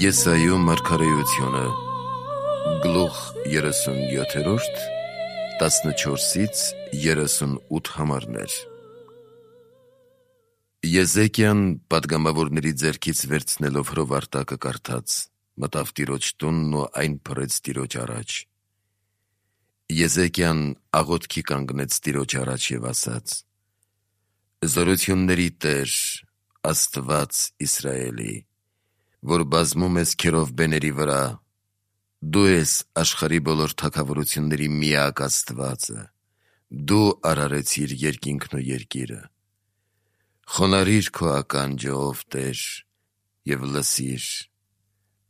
Եսայու մարգարեությունը գլուխ 37, 14-ից 38 համարներ։ Եզեկիան պատգամավորների ձեռքից վերցնելով հրովարտակը կարդաց, մտավ Տիրոջ տունն ու այն փռեց Տիրոջ առաջ։ Եզեկիան աղոթքի կանգնեց Տիրոջ առաջ և ասաց. «Զորությունների Տեր, Աստված Իսրայելի, որ բազմում ես քերովբեների վրա, դու ես աշխարհի բոլոր թագավորությունների միակ Աստվածը, դու արարեցիր երկինքն ու երկիրը։ Խոնարհիր քո ականջը, ով Տեր, և լսիր,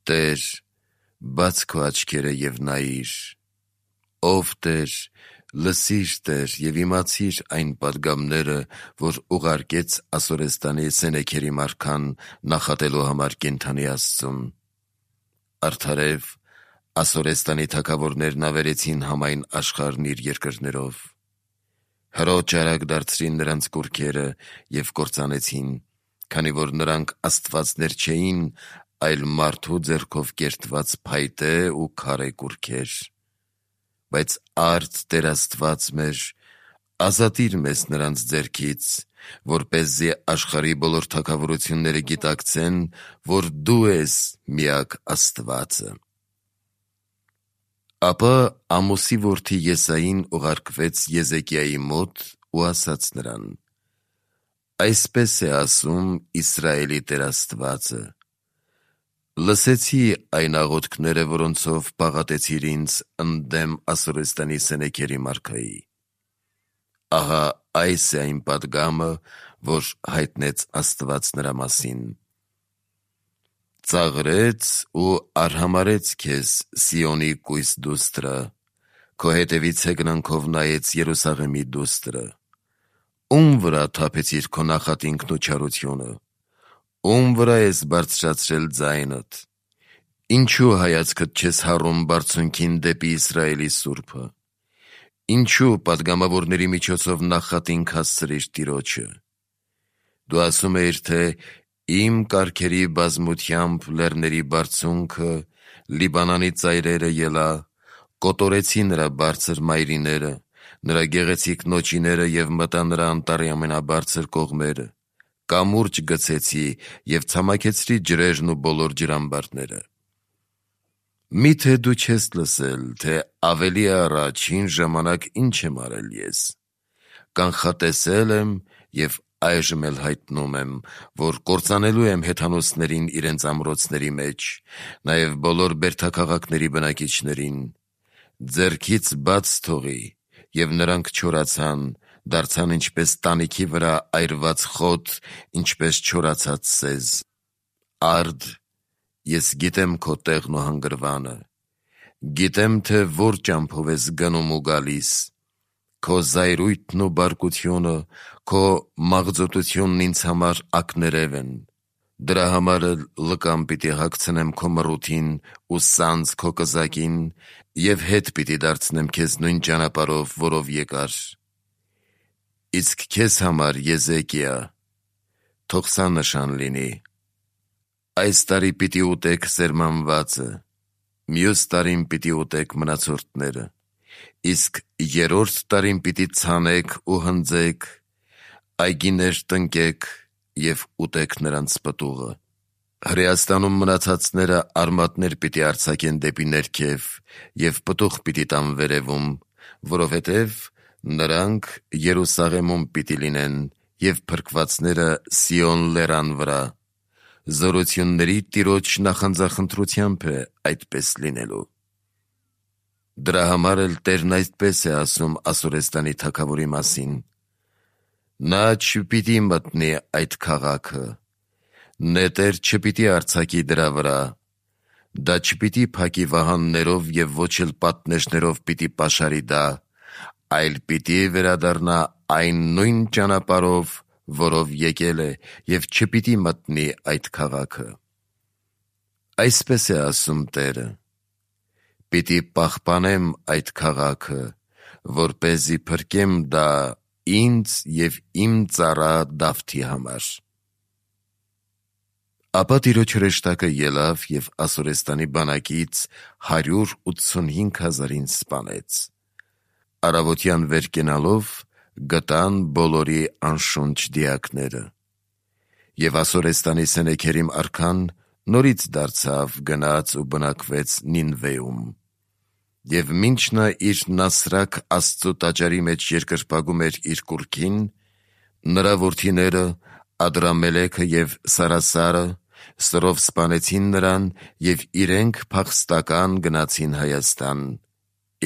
Տեր, բաց քո աչքերը և նայիր, ով Տեր, լսիր, Տեր, և իմացիր այն պատգամները, որ ուղարկեց Ասորեստանի Սենեքերի մարքան նախատելու համար կենդանի Աստծուն։ Արդարև Ասորեստանի թագավորներն ավերեցին համայն աշխարհն իր երկրներով։ Հրոջ արագ դարձրին նրանց կուռքերը և կործանեցին, քանի որ նրանք աստվածներ չէին, այլ մարդու ձեռքով կերտված փայտե ու քարե կուռքեր։ Բայց արդ Տեր Աստված մեր, ազատիր մեզ նրանց ձեռքից, որպեսզի աշխարհի բոլոր թագավորությունները գիտակցեն, որ դու ես միակ Աստվածը»։ Ապա Ամոսի որդի Եսային ուղարկվեց Եզեկիայի մոտ ու ասաց նրան. «Այսպես է ասում Իսրայելի Տեր Աստվածը. լսեցի այն աղոթքները, որոնցով պաղատեցիր ինձ ընդդեմ Ասորեստանի Սենեքերի մարքայի։ Ահա այս է այն պատգամը, որ հայտնեց Աստված նրա մասին. ծաղրեց ու արհամարհեց քեզ Սիոնի կույս դուստրը, քո հետևից հեգնանքով նայեց Երուսաղեմի դուստրը։ Ում վրա թափեցիր քո նախատինքն ու չարությունը, ում վրա ես բարձրացրել ձայնդ, ինչու հայացքդ չես հառում բարձունքին դեպի Իսրայելի Սուրբը, ինչու պատգամավորների միջոցով նախատինք հասցրիր Տիրոջը։ Դու ասում էիր, թե իմ կառքերի բազմությամբ լեռների բարձունքը, Լիբանանի ծայրերը ելա, կոտորեցի նրա բարձր մայրիները, նրա գեղեցիկ նոճիները և մտա նրա անտառի ամենաբարձր կողմերը, կամուրջ գցեցի և ցամաքեցրի ջրերն ու բոլոր ջրամբարները։ Մի՞թե դու չես լսել, թե ավելի առաջ հին ժամանակ ինչ եմ արել ես։ Կանխատեսել եմ և այժմ էլ հայտնում եմ, որ կործանելու եմ հեթանոսներին իրենց ամրոցների մեջ, նաև բոլոր բերդաքաղաքների բնակիչներին, ձեռքից բաց թողի, և նրանք չորացան, դարձան ինչպես տանիքի վրա այրված խոտ, ինչպես չորացած սեզ։ Արդ, ես գիտեմ քո տեղն ու հանգրվանը, գիտեմ, թե որ ճամփով ես գնում ու գալիս, քո զայրույթն ու բարկությունը, քո մաղձոտությունն ինձ համար ակներև են։ Դրա համար էլ լկամ պիտի հագցնեմ քո մռութին ու սանձ քո կզակին, և հետ պիտի դարձնեմ քեզ նույն ճանապարհով, որով եկար։ Իսկ քեզ համար, Եզեկիա, թող սա նշան լինի. այս տարի պիտի ուտեք սերմանվածը, մյուս տարին պիտի ուտեք մնացորդները, իսկ երրորդ տարին պիտի ցանեք ու հնձեք, այգիներ տնկեք և ուտեք նրանց պտուղը։ Հրեաստանում մնացածները արմատներ պիտի արձակեն դեպի ներքև և պտուղ պիտի տան վերևում, որովհետև նրանք Երուսաղեմում պիտի լինեն և փրկվածները Սիոն լեռան վրա։ Զորությունների Տիրոջ նախանձախնդրությամբ է այդպես լինելու։ Դրա համար էլ Տերն այսպես է ասում Ասորեստանի թագավորի մասին. նա չպիտի մտնի այդ քաղաքը, նետեր չպիտի արձակի դրա վրա, դա չպիտի փակի վահաններով և ոչ էլ պատնեշներով պիտի պաշարի դա, այլ պիտի վերադառնա այն նույն ճանապարհով, որով եկել է, և չպիտի մտնի այդ քաղաքը։ Այսպես է ասում Տերը. պիտի պահպանեմ այդ քաղաքը, որպեսզի փրկեմ դա ինձ և իմ ծառա Դավթի համար։ Ապա Տիրոջ հրեշտակը ելավ և Ասորեստանի բանակից 185,000-ին սպանեց։ Առավոտյան վեր կենալով գտան բոլորի անշունչ դիակները։ Եվ Ասորեստանի Սենեքերիմ արքան նորից դարձավ, գնաց ու բնակվեց Նինվեում։ Եվ մինչ նա իր Նասրակ Աստծու տաճարի մեջ երկրպագում էր իր կուռքին, նրա որդիները Ադրամելեքը և Սարասարը սրով սպանեցին նրան և իրենք փախստական գնացին Հայաստան,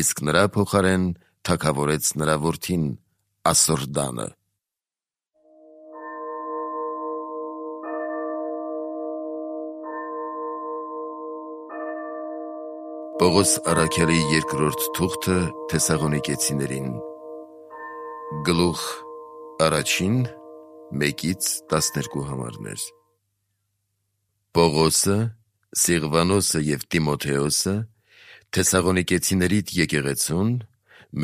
իսկ նրա փոխարեն թագավորեց նրա որդին Ասորդանը։ Պողոս առաքյալի երկրորդ թուղթը Թեսաղոնիկեցիներին, գլուխ 1, 1-12 համարներ։ Պողոսը, Սիղվանոսը և Տիմոթեոսը Թեսաղոնիկեցիներիդ եկեղեցուն,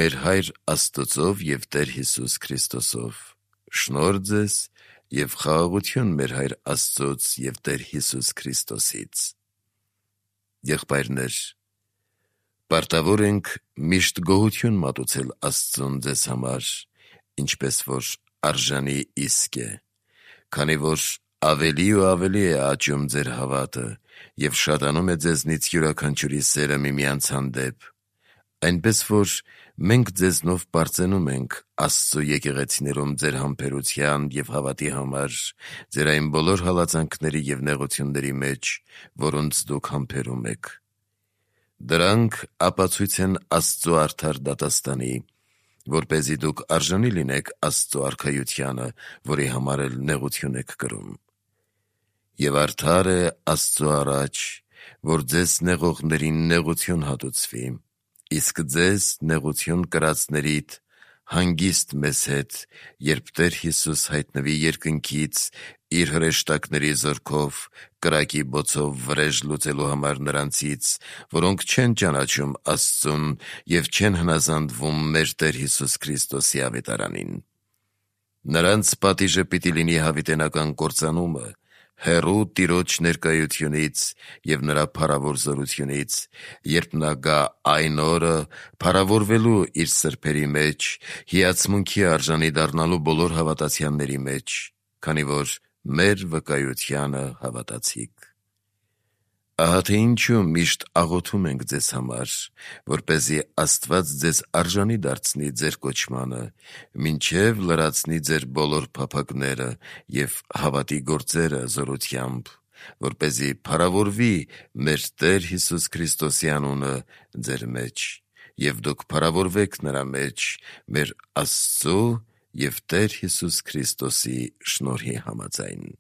մեր Հայր Աստծով և Տեր Հիսուս Քրիստոսով, շնորհ ձեզ և խաղաղություն մեր Հայր Աստծոց և Տեր Հիսուս Քրիստոսից։ Եղբայրներ, պարտավոր ենք միշտ գոհություն մատուցել Աստծուն ձեզ համար, ինչպես որ արժանի իսկ է, քանի որ ավելի ու ավելի է աճում ձեր հավատը և շատանում է ձեզնից յուրաքանչյուրի սերը միմյանց հանդեպ, այնպես որ մենք ձեզնով պարծենում ենք Աստծու եկեղեցիներում ձեր համբերության և հավատի համար, ձեր այն բոլոր հալածանքների և նեղությունների մեջ, որոնց դուք համբերում եք։ Դրանք ապացույց են Աստծու արդար դատաստանի, որպեսզի դուք արժանի լինեք Աստծու արքայությանը, որի համար էլ նեղություն եք կրում։ Եվ արդար է Աստծու առաջ, որ ձեզ նեղողներին նեղություն հատուցվի, իսկ ձեզ նեղություն կրածներիդ հանգիստ մեզ հետ, երբ Տեր Հիսուս հայտնվի երկնքից իր հրեշտակների զորքով, կրակի բոցով վրեժ լուծելու համար նրանցից, որոնք չեն ճանաչում Աստծուն և չեն հնազանդվում մեր Տեր Հիսուս Քրիստոսի ավետարանին։ Նրանց պատիժը պիտի լինի հավիտենական կործանումը, հեռու Տիրոջ ներկայությունից և նրա փառավոր զորությունից, երբ նա գա այն օրը, փառավորվելու իր սրբերի մեջ, հիացմունքի արժանի դառնալու բոլոր հավատացյալների մեջ, քանի որ մեր վկայությանը հավատացիք։ Ահա թե ինչու միշտ աղոթում ենք ձեզ համար, որպեսզի Աստված ձեզ արժանի դարձնի ձեր կոչմանը, մինչև լրացնի ձեր բոլոր փափագները և հավատի գործերը զորությամբ, որպեսզի փառավորվի մեր Տեր Հիսուս Քրիստոսի անունը ձեր մեջ, և դուք փառավորվեք նրա մեջ, մեր Աստծու և Տեր Հիսուս Քրիստոսի շնորհի համաձայն։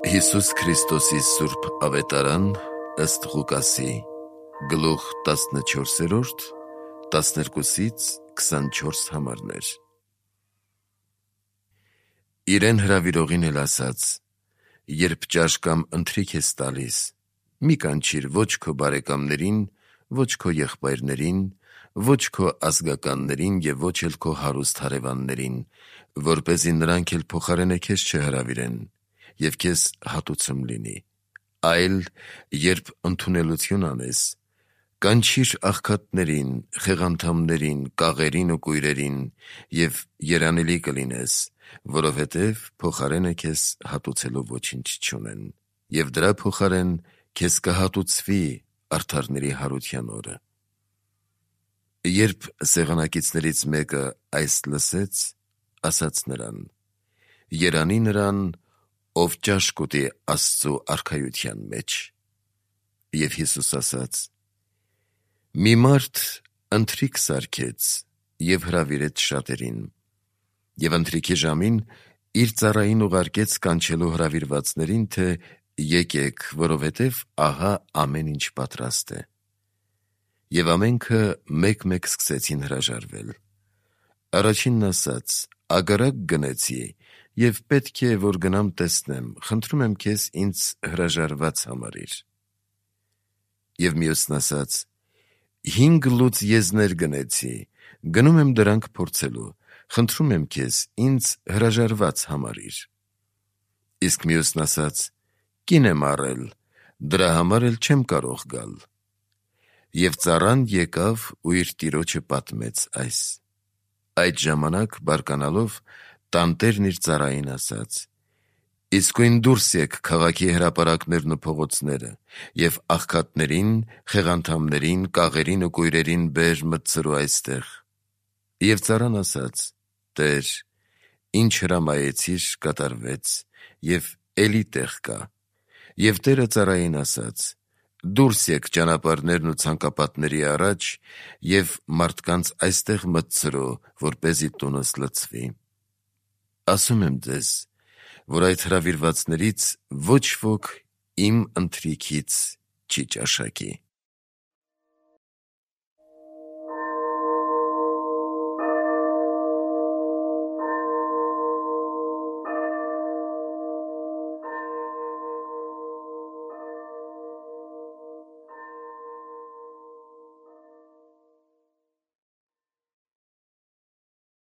Հիսուս Քրիստոսի սուրբ ավետարան ըստ Ղուկասի, գլուխ 14, 12-24 համարներ։ Իրեն հրավիրողին էլ ասաց. երբ ճաշ կամ ընթրիք ես տալիս, մի կանչիր ոչ քո բարեկամներին, ոչ քո եղբայրներին, ոչ քո ազգականներին և ոչ էլ քո հարուստ հարևաններին, որպեսզի նրանք էլ փոխարենը քեզ չհրավիրեն, և քեզ հատուցում լինի, այլ երբ ընդունելություն անես, կանչիր աղքատներին, խեղանդամներին, կաղերին ու կույրերին, և երանելի կլինես, որովհետև փոխարենը քեզ հատուցելու ոչինչ չունեն, և դրա փոխարեն քեզ կհատուցվի արդարների հարության օրը։ Երբ սեղանակիցներից մեկը այս լսեց, ասաց նրան. երանի նրան, ով ճաշ կուտի Աստծու արքայության մեջ։ Եվ Հիսուս ասաց. մի մարդ ընթրիք սարքեց և հրավիրեց շատերին, և ընթրիքի ժամին իր ծառային ուղարկեց կանչելու հրավիրվածներին, թե եկեք, որովհետև ահա ամեն ինչ պատրաստ է։ Եվ ամենքը մեկ-մեկ սկսեցին հրաժարվել։ Առաջինն ասաց. ագարակ գնեցի և պետք է, որ գնամ տեսնեմ, խնդրում եմ քեզ ինձ հրաժարված համարիր։ Եվ մյուսն ասաց. 5 լուծ եզներ գնեցի, գնում եմ դրանք փորձելու, խնդրում եմ քեզ ինձ հրաժարված համարիր։ Իսկ մյուսն ասաց. կին եմ առել, դրա համար էլ չեմ կարող գալ։ Եվ ծառան եկավ ու իր տիրոջը պատմեց այս։ Այդ ժամանակ բարկանալով տանտերն իր ծառային ասաց. իսկույն դուրս եք քաղաքի հրապարակներն ու փողոցները և աղքատներին, խեղանդամներին, կաղերին ու կույրերին բեր մտցրու այստեղ։ Եվ ծառան ասաց. Տեր, ինչ հրամայեցիր կատարվեց, և էլի տեղ կա։ Եվ Տերը ծառային ասաց. դուրս եք ճանապարհներն ու ցանկապատների առաջ և մարդկանց այստեղ մտցրու, որպեսզի տունս լցվի։ Ասում եմ ձեզ, որ այդ հրավիրվածներից ոչ ոք իմ ընթրիքից չի ճաշակի։